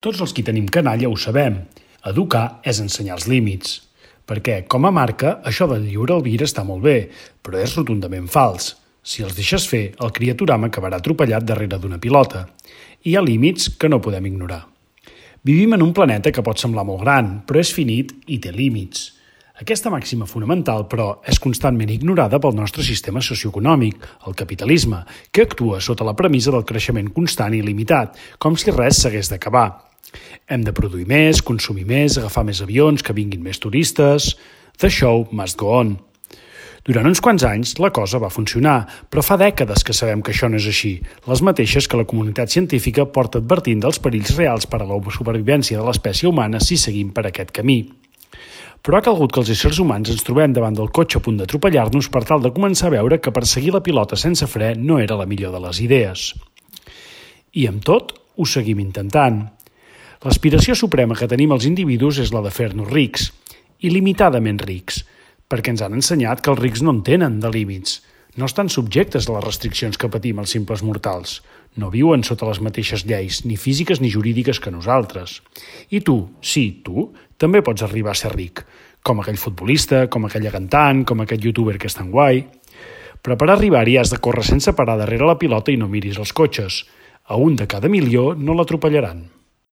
Tots els qui tenim canalla ho sabem. Educar és ensenyar els límits. Perquè, com a marca, això de lliure albir està molt bé, però és rotundament fals. Si els deixes fer, el criaturama acabarà atropellat darrere d'una pilota. Hi ha límits que no podem ignorar. Vivim en un planeta que pot semblar molt gran, però és finit i té límits. Aquesta màxima fonamental, però, és constantment ignorada pel nostre sistema socioeconòmic, el capitalisme, que actua sota la premissa del creixement constant i il·limitat, com si res s'hagués d'acabar. Hem de produir més, consumir més, agafar més avions, que vinguin més turistes... The show must go on. Durant uns quants anys la cosa va funcionar, però fa dècades que sabem que això no és així, les mateixes que la comunitat científica porta advertint dels perills reals per a la supervivència de l'espècie humana si seguim per aquest camí. Però ha calgut que els éssers humans ens trobem davant del cotxe a punt d'atropellar-nos per tal de començar a veure que perseguir la pilota sense fre no era la millor de les idees. I amb tot, ho seguim intentant. L'aspiració suprema que tenim els individus és la de fer-nos rics, il·limitadament rics, perquè ens han ensenyat que els rics no en tenen de límits, no estan subjectes a les restriccions que patim els simples mortals, no viuen sota les mateixes lleis, ni físiques ni jurídiques que nosaltres. I tu, sí, tu, també pots arribar a ser ric, com aquell futbolista, com aquella cantant, com aquest youtuber que és tan guai. Però per arribar-hi has de córrer sense parar darrere la pilota i no miris els cotxes. A un de cada milió no l'atropellaran.